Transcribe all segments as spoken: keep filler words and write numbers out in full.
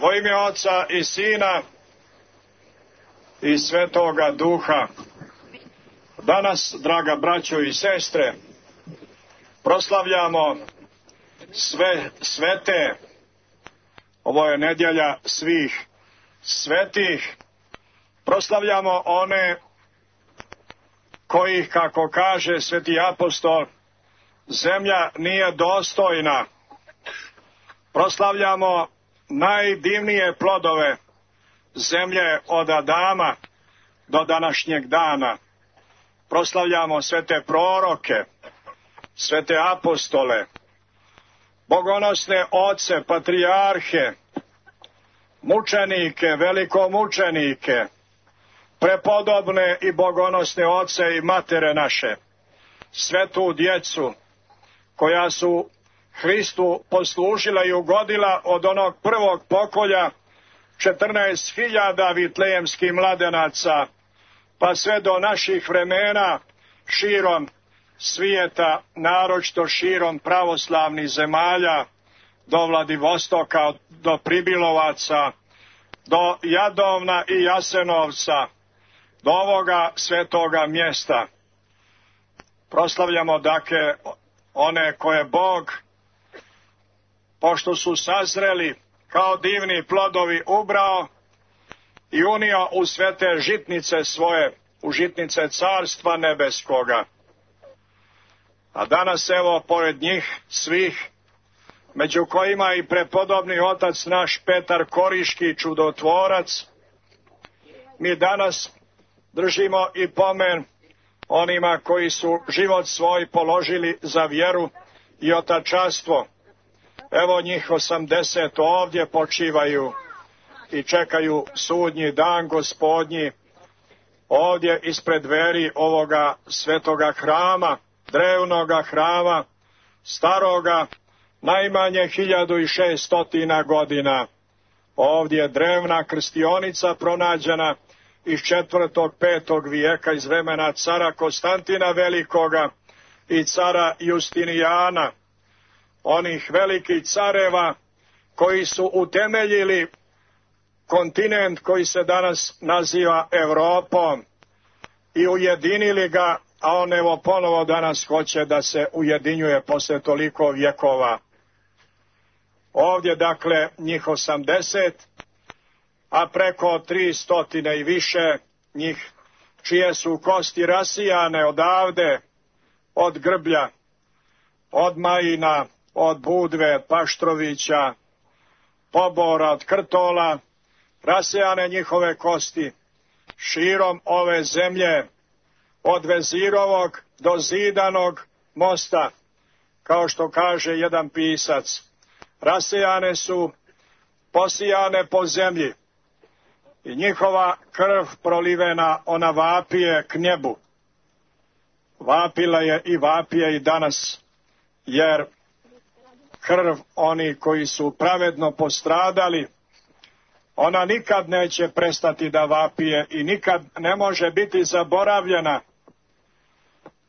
U ime Oca i Sina i Svetoga Duha. Danas, draga braćo i sestre, proslavljamo sve svete. Ovo je nedjelja svih svetih. Proslavljamo one kojih, kako kaže sveti apostol, zemlja nije dostojna. Proslavljamo najdivnije plodove zemlje od Adama do današnjeg dana. Proslavljamo svete proroke, svete apostole, bogonosne oce, patrijarhe, mučenike, velikomučenike, prepodobne i bogonosne oce i matere naše, svetu djecu koja su Hristu poslužila i ugodila od onog prvog pokolja četrnaest hiljada vitlejemskih mladenaca, pa sve do naših vremena širom svijeta, naročito širom pravoslavnih zemalja, do Vladivostoka, do Pribilovaca, do Jadovna i Jasenovca, do ovoga svetoga mjesta. Proslavljamo dakle one koje Bog, pošto su sazreli kao divni plodovi, ubrao i unio u svete žitnice svoje, u žitnice Carstva Nebeskoga. A danas evo pored njih svih, među kojima i prepodobni otac naš Petar Koriški, čudotvorac, mi danas držimo i pomen onima koji su život svoj položili za vjeru i otačanstvo. Evo njih osamdeset ovdje počivaju i čekaju sudnji dan Gospodnji, ovdje ispred dveri ovoga svetoga hrama, drevnoga hrama, staroga, najmanje hiljadu i šeststotina godina. Ovdje je drevna krstionica pronađena iz četvrtog, petog vijeka, iz vremena cara Konstantina Velikoga i cara Justinijana, onih velikih careva koji su utemeljili kontinent koji se danas naziva Europom i ujedinili ga, a on evo ponovo danas hoće da se ujedinjuje posle toliko vjekova. Ovdje dakle njih osamdeset, a preko tri stotine i više njih čije su kosti rasijane odavde, od Grblja, od Majina, od Budve, Paštrovića, Pobora, od Krtola, rasijane njihove kosti širom ove zemlje, od Vezirovog do Zidanog mosta, kao što kaže jedan pisac, rasijane su, posijane po zemlji i njihova krv prolivena, ona vapije k nebu. Vapila je i vapije i danas, jer krv oni koji su pravedno postradali, ona nikad neće prestati da vapije i nikad ne može biti zaboravljena.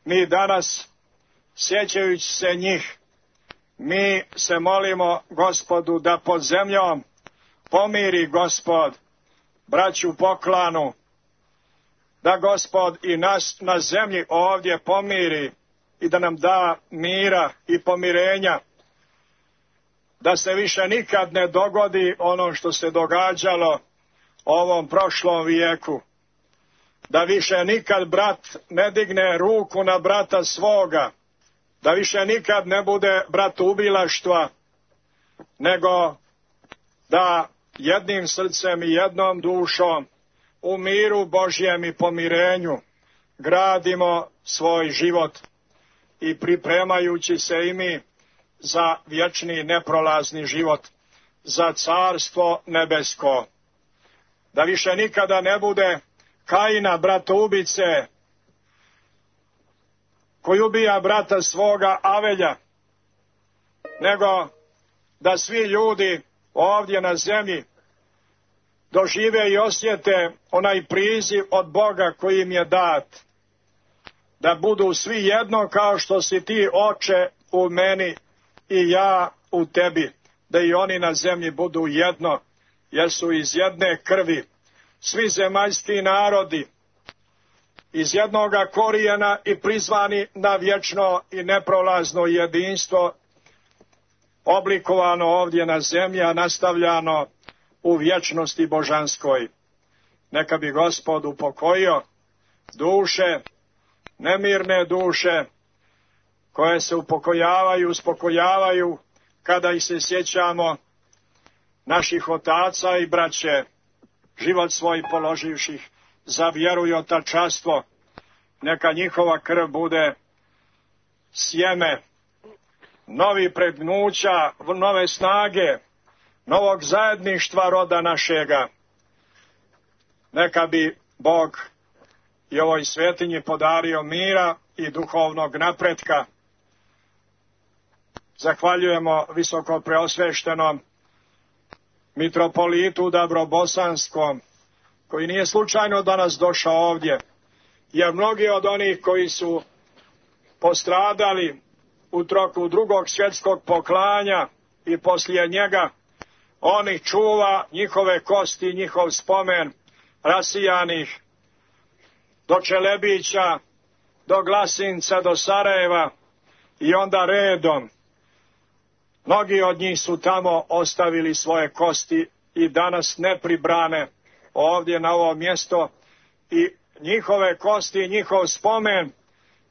Mi danas, sjećajući se njih, mi se molimo Gospodu da pod zemljom pomiri Gospod braću Poklanu, da Gospod i nas na zemlji ovdje pomiri i da nam da mira i pomirenja, da se više nikad ne dogodi ono što se događalo ovom prošlom vijeku, da više nikad brat ne digne ruku na brata svoga, da više nikad ne bude bratoubilaštva, nego da jednim srcem i jednom dušom u miru Božjem i pomirenju gradimo svoj život i pripremajući se i mi za vječni neprolazni život, za Carstvo Nebesko. Da više nikada ne bude Kaina, bratoubice, koji ubija brata svoga Avelja, nego da svi ljudi ovdje na zemlji dožive i osjete onaj priziv od Boga koji im je dat, da budu svi jedno kao što si ti, Oče, u meni i ja u tebi, da i oni na zemlji budu jedno, jer su iz jedne krvi svi zemaljski narodi, iz jednoga korijena i prizvani na vječno i neprolazno jedinstvo, oblikovano ovdje na zemlji, a nastavljano u vječnosti božanskoj. Neka bi Gospod upokojio duše, nemirne duše, koje se upokojavaju, uspokojavaju, kada ih se sjećamo naših otaca i braće, život svoj položivših za vjeru i otačanstvo. Neka njihova krv bude sjeme novi pregnuća, nove snage, novog zajedništva roda našega. Neka bi Bog i ovoj svetinji podario mira i duhovnog napretka. Zahvaljujemo visoko preosveštenom mitropolitu Dabrobosanskom, koji nije slučajno danas došao ovdje, jer mnogi od onih koji su postradali u toku drugog svjetskog poklanja i poslije njega, on ih čuva, njihove kosti, njihov spomen, rasijanih do Čelebića, do Glasinca, do Sarajeva i onda redom. Mnogi od njih su tamo ostavili svoje kosti i danas nepribrane ovdje na ovo mjesto, i njihove kosti, njihov spomen,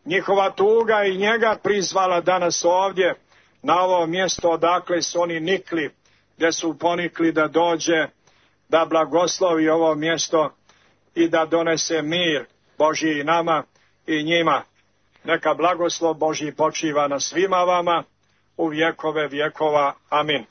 njihova tuga i njega prizvala danas ovdje na ovo mjesto odakle su oni nikli, gdje su ponikli da dođe, da blagoslovi ovo mjesto i da donese mir Božji nama i njima. Neka blagoslov Božji počiva na svima vama u vjekove vjekova. Amin.